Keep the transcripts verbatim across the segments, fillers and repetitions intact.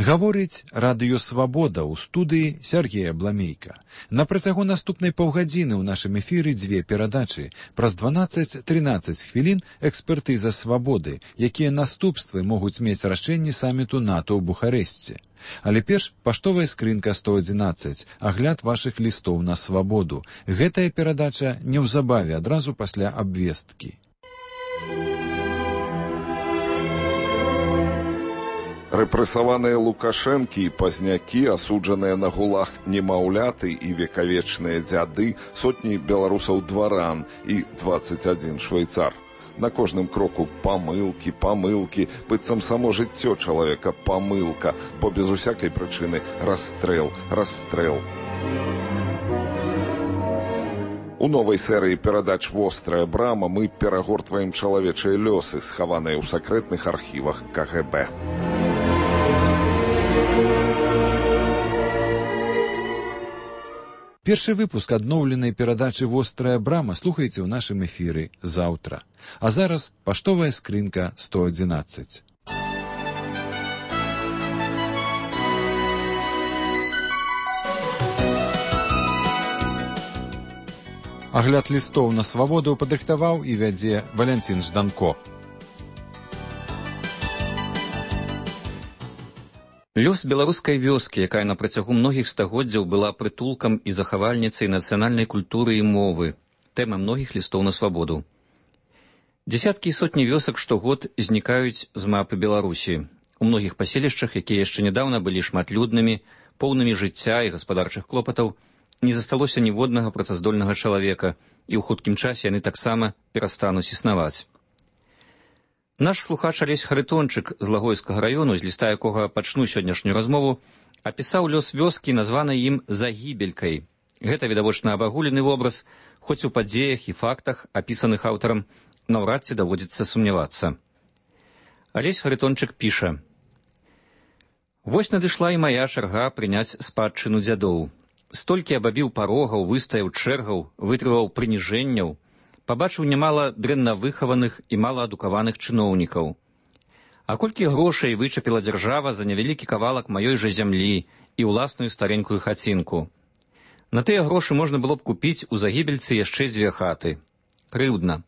Гаворыць радыё «Свабода» ў студыі Сергея Бламейка. На працягу наступнай паўгадзіны ў нашым эфіры дзве перадачы. Праз дванаццаць-трынаццаць хвілін экспертыза «Свабоды», якія наступствы могуць мець рашэнні саміту НАТО ў Бухарэсце. Але перш паштовая скрынка сто адзінаццаць, агляд вашых лістоў на свабоду. Гэтая перадача неўзабаве адразу пасля абвесткі. Рэпрэсаваныя Лукашэнкі і пазнякі, асуджаныя на гулаг немаўляты і векавечныя дзяды, сотні беларусаў-дваран і дваццаць адзін швейцар. На кожным кроку памылкі, памылкі, быццам само жыццё чалавека памылка, бо без усякай прычыны расстрэл, расстрэл. У новай серыі перадач «Вострая брама» мы перагортваем чалавечыя лёсы, схаваныя ў сакрэтных архівах ка гэ бэ. Першы выпуск адноўленай перадачы «Вострая брама» слухайце ў нашым эфіры заўтра. А зараз паштовая скрынка сто адзінаццаць. Агляд лістоў на свабоду падрыхтаваў і вядзе Валянцін Жданко. Лёс беларускай вёскі, якая на працягу многіх стагоддзяў была прытулкам і захавальніцай нацыянальнай культуры і мовы, тэма многіх лістоў на свабоду. Дзесяткі і сотні вёсак штогод знікаюць з мапы Беларусі. У многіх паселішчах, якія яшчэ нядаўна былі шматлюднымі, поўнымі жыцця і гаспадарчых клопатаў, не засталося ніводнага працаздольнага чалавека, і ў хуткім часе яны таксама перастануць існаваць. Наш слухач Алесь Харитончык з Лагойскага раёну, з ліста якога пачну сённяшнюю размову, апісаў лёс вёскі, названай ім Загібелькай. Гэта відавочна абагулены вобраз, хоць у падзеях і фактах, апісаных аўтарам, наўрад ці даводзіцца сумнявацца. Алесь Харитончык піша: «Вось надышла і мая чарга прыняць спадчыну дзядоў. Столькі абабіў парогаў, выстаяў чэргаў, вытрываў прыніжэнняў, пабачыў нямала дрэнна выхаваных і малаадукаваных чыноўнікаў. А колькі грошай вычапіла дзяржава за невялікі кавалак маёй жа зямлі і ўласную старенькую хацінку. На тыя грошы можна было б купіць у Загібельцы яшчэ дзве хаты. Крыўдна.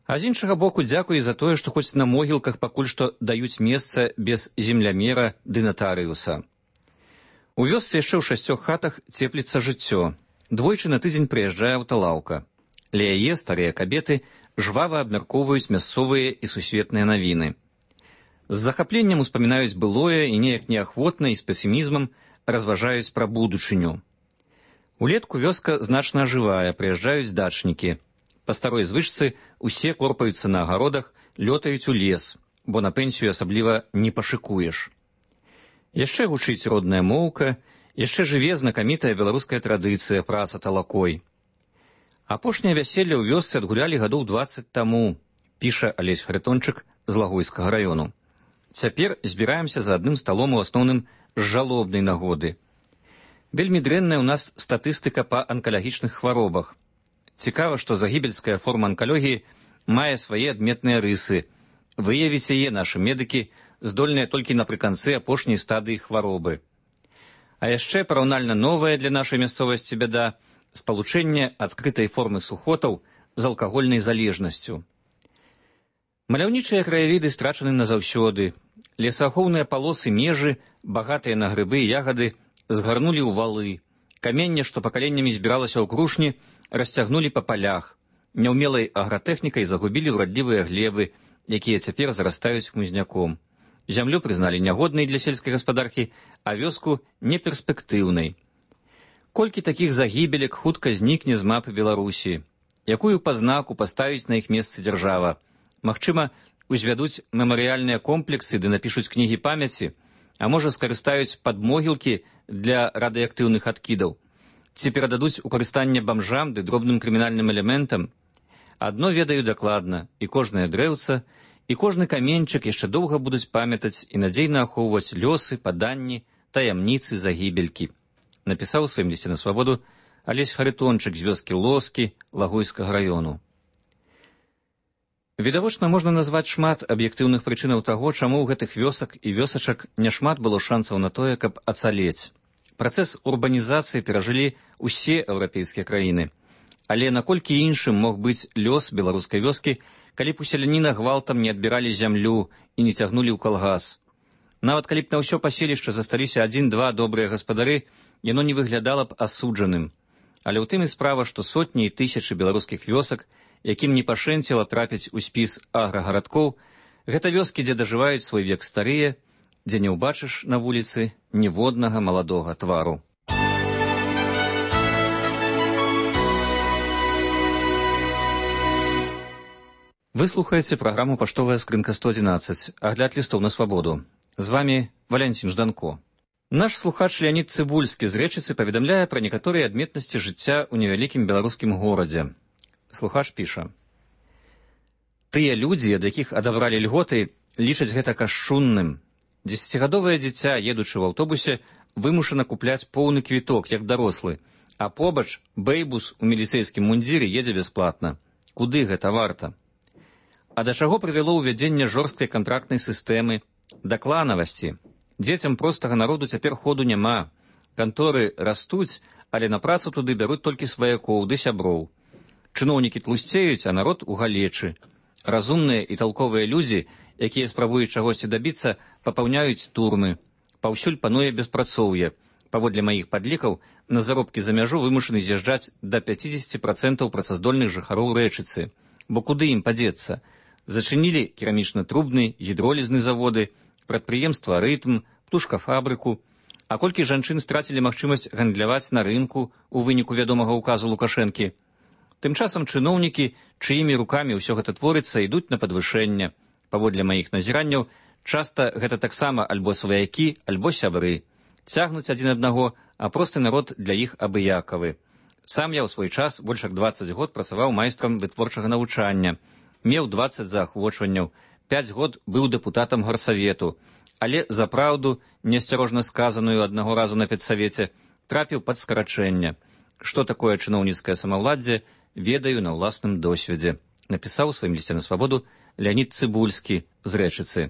А з іншага боку, дзякуй за тое, што хоць на могілках пакуль што даюць месца без землямера ды натарыуса. У вёсцы яшчэ ў шасцёх хатах цепліцца жыццё. Двойчы на тыдзень прыязджае аўталаўка. Ля яе старыя кабеты жвава абмяркоўваюць мясцовыя і сусветныя навіны. З захапленнем успамінаюць былое і неяк неахвотна і з песімізмам разважаюць пра будучыню. Улетку вёска значна ажывае, прыязджаюць дачнікі. Па старой звычцы усе корпаюцца на агародах, лётаюць у лес, бо на пенсію асабліва не пашыкуеш. Яшчэ гучыць родная моўка, яшчэ жыве знакамітая беларуская традыцыя праца талакой. Апошняе вяселле ў вёсцы адгулялі гадоў дваццаць таму, піша Алесь Харитончык з Лагойскага раёну. Цяпер збіраемся за адным сталом у асноўным з жалобнай нагоды. Вельмі дрэнная ў нас статыстыка па анкалагічных хваробах. Цікава, што загібельская форма анкалогіі мае свае адметныя рысы. Выявіць яе нашы медыкі здольныя толькі напрыканцы апошняй стадыі хваробы. А яшчэ параўнальна новая для нашай мясцовасці бяда – спалучэнне адкрытай формы сухотаў з алкагольнай залежнасцю. Маляўнічыя краявіды страчаны назаўсёды. Лесаахоўныя палосы межы, багатыя на грыбы і ягады, згарнулі ў валы. Каменне, што пакаленнямі збіралася ў крушні, расцягнулі па палях. Няўмелай агратэхнікай загубілі ўрадлівыя глебы, якія цяпер зарастаюць хмызняком. Зямлю прызналі нягоднай для сельскай гаспадаркі, а вёску неперспектыўнай. Колькі такіх загібелек хутка знікне з мапы Беларусі? Якую пазнаку паставіць на іх месцы дзяржава? Магчыма, узвядуць мемарыяльныя комплексы ды напішуць кнігі памяці, а можа скарыстаюць падмогілкі для радыеактыўных адкідаў? Ці перададуць у карыстанне бамжам ды дробным крымінальным элементам? Адно ведаю дакладна, і кожнае дрэўца, і кожны каменьчык яшчэ доўга будуць памятаць і надзейна ахоўваць лёсы, паданні, таямніцы загібелькі. Напісаў у сваім лісце на свабоду Алесь Харитончык з вёскі Лоскі Лагойскага раёну. Відавочна можна назваць шмат аб'ектыўных прычынаў таго, чаму ў гэтых вёсак і вёсачак няшмат было шансаў на тое, каб ацалець. Працэс урбанізацыі перажылі ўсе еўрапейскія краіны. Але наколькі іншым мог быць лёс беларускай вёскі, калі б у селяніна гвалтам не адбіралі зямлю і не цягнулі ў калгас. Нават калі б на ўсё паселішча засталіся адзін-два добрыя гаспадары, яно не выглядала б асуджаным. Але ў тым і справа, што сотні і тысячы беларускіх вёсак, якім не пашэнціла трапіць у спіс аграгарадкоў, гэта вёскі, дзе дажываюць свой век старыя, дзе не ўбачыш на вуліцы ніводнага маладога твару. Вы слухаеце праграму «Паштовая скрынка сто адзінаццаць», агляд лістоў на свабоду. З вами Валянцін Жданко. Наш слухач Леонид Цыбульскі з Рэчыцы паведамляе пра некаторыя адметнасці жыцця ў невялікім беларускім горадзе. Слухач піша: «Тыя людзі, ад якіх адабралі льготы, лічаць гэта кашчунным. Дзесяцігадовае дзіця, едучы ў аўтобусе, вымушана купляць поўны квіток, як дарослы, а побач бэйбус у міліцэйскім мундзіры едзе бясплатна. Куды гэта варта? А да чаго прывяло ўвядзенне жорсткай кантрактнай сістэмы, да кланавасці? Дзецям простага народу цяпер ходу няма. Канторы растуць, але на працу туды бяруць толькі сваякоў ды сяброў. Чыноўнікі тлусцеюць, а народ у галечы. Разумныя і талковыя людзі, якія спрабуюць чагосьці дабіцца, папаўняюць турмы. Паўсюль пануе беспрацоўе. Паводле маіх падлікаў, на заробкі за мяжу вымушаны з'язджаць да пяцідзесяці працэнтаў працаздольных жыхароў Рэчыцы. Бо куды ім падзецца? Зачынілі керамічна-трубны, гідролізны заводы, прадпрыемства «Рытм», птушкафабрыку. А колькі жанчын страцілі магчымасць гандляваць на рынку ў выніку вядомага ўказу Лукашэнкі? Тым часам чыноўнікі, чыімі рукамі ўсё гэта творыцца, ідуць на падвышэнне. Паводле маіх назіранняў, часта гэта таксама альбо сваякі, альбо сябры. Цягнуць адзін аднаго, а просты народ для іх абыякавы. Сам я ў свой час больш як дваццаць год працаваў майстрам вытворчага навучання. Меў дваццаць заахвочванняў, пяць год быў дэпутатам гарсавету, але за праўду, неасцярожна сказаную аднаго разу на педсавеце, трапіў пад скарачэнне. Што такое чыноўніцкае самаўладдзе, ведаю на ўласным досведзе, напісаў у сваім лісце на свабоду Леонид Цыбульскі з Рэчыцы.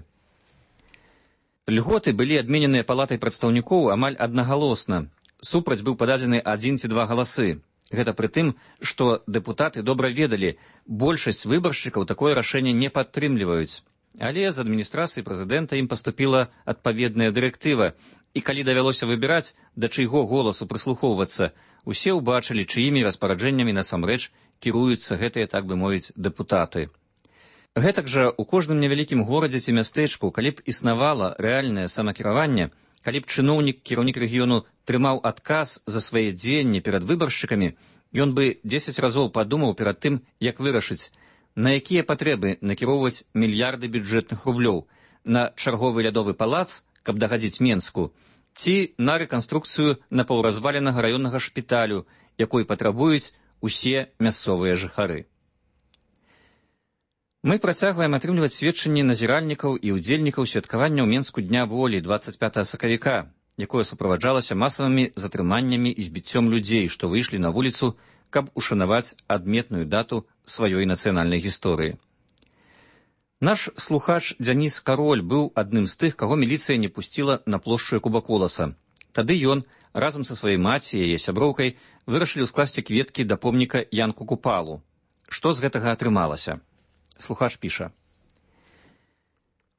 Льготы былі адмененыя палатай прадстаўнікоў амаль аднагалосна. Супраць быў пададзены адзін ці два галасы. Гэта пры тым, што дэпутаты добра ведалі, большасць выбаршчыкаў такое рашэнне не падтрымліваюць. Але з адміністрацыі прэзідэнта ім паступіла адпаведная дырэктыва, і калі давялося выбіраць, да чыйго голасу прыслухоўвацца, усе ўбачылі, чыімі распараджэннямі насамрэч кіруюцца гэтыя, так бы мовіць, дэпутаты. Гэтак жа у кожным невялікім горадзе ці мястэчку, калі б існавала рэальнае самакіраванне, калі б чыноўнік, кіраўнік рэгіёну трымаў адказ за свае дзеянні перад выбаршчыкамі, ён бы дзесяць разоў падумаў перад тым, як вырашыць, на якія патрэбы накіроўваць мільярды бюджэтных рублёў, на чарговы лядовы палац, каб дагадзіць Менску, ці на рэканструкцыю напаўразваленага раённага шпіталю, якой патрабуюць усе мясцовыя жыхары. Мы працягваем атрымліваць сведчанні назіральнікаў і ўдзельнікаў святкавання ў Менску Дня волі дваццаць пятага сакавіка, якое суправаджалася масавымі затрыманнямі і збіццём людзей, што выйшлі на вуліцу, каб ушанаваць адметную дату сваёй нацыянальнай гісторыі. Наш слухач Дзяніс Кароль быў адным з тых, каго міліцыя не пусціла на плошчу Кубаколаса. Тады ён, разам са сваёй маці і яе сяброўкай, вырашылі скласці кветкі да помніка Янку Купалу. Што з гэтага атрымалася? Слухач піша: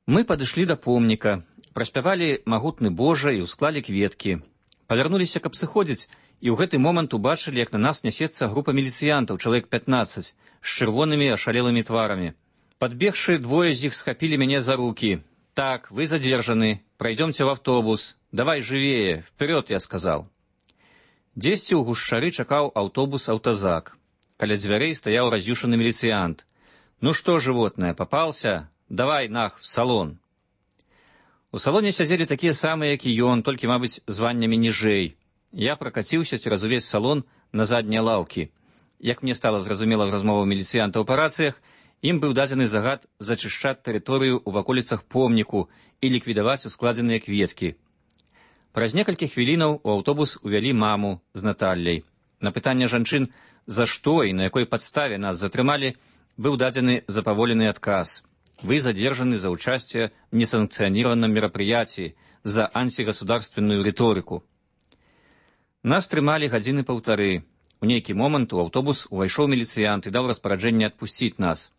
«Мы падышлі да помніка, праспявалі магутны Божа і ўсклалі кветкі. Павярнуліся, каб сыходзіць, і ў гэты момант убачылі, як на нас нясецца група міліцыянтаў, чалавек пятнаццаць, з чырвонымі ашалелымі тварамі. Падбегшы, двое з іх схапілі мяне за рукі. Так, вы задержаны, пройдемте в автобус. Давай живее, вперед, я сказал. Дзесьці ў гушчары чакаў аўтобус-аўтазак. Каля дзвярэй стаяў раз'юшаны міліцыянт. «Ну что, животное, попался? Давай, нах, в салон». У салоне сядзелі такія самыя, як і ён, толькі, мабыць, званнямі ніжэй. Я пракаціўся цераз увесь салон на заднія лаўкі. Як мне стала зразумела з размоваў міліцыянтаў па рацыях, ім быў дадзены загад зачышчаць тэрыторыю ў ваколіцах помніку і ліквідаваць ускладзеныя кветкі. Праз некалькі хвілінаў у аўтобус увялі маму з Наталляй. На пытанне жанчын, за што і на якой падставе нас затрымалі, был дадзены запаволенный отказ. Вы задержаны за участие в несанкционированном мероприятии, за антигосударственную риторику. Нас трымалі гадзіны паўтары. У нейкі момант у аўтобус увайшоў міліцыянт і даў распараджэнне отпустить нас.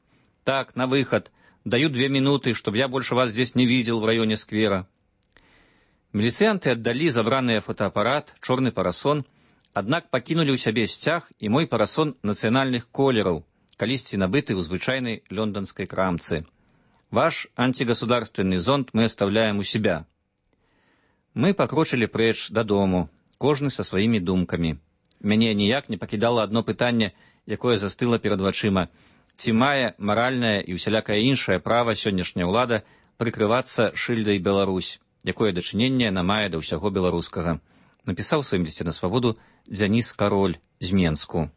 Так, на выход. Даю две минуты, чтобы я больше вас здесь не видел в районе сквера. Міліцыянты аддалі забраныя фотоапарат, чорны парасон, аднак пакінулі ў сябе сцяг і мой парасон нацыянальных колераў, калісьці набыты ў звычайнай лёнданскай крамцы. Ваш антигосударственный зонт мы оставляем у себя. Мы пакрочылі прэч дадому, кожны са сваімі думкамі. Мяне ніяк не пакідала адно пытанне, якое застыла перад вачыма. Ці мае маральнае і ўсялякае іншае права сённяшняя ўлада прыкрывацца шыльдай Беларусь, якое дачыненне яна мае да ўсяго беларускага. Напісаў у сваім лісце на свабоду Дзяніс Кароль з Менску.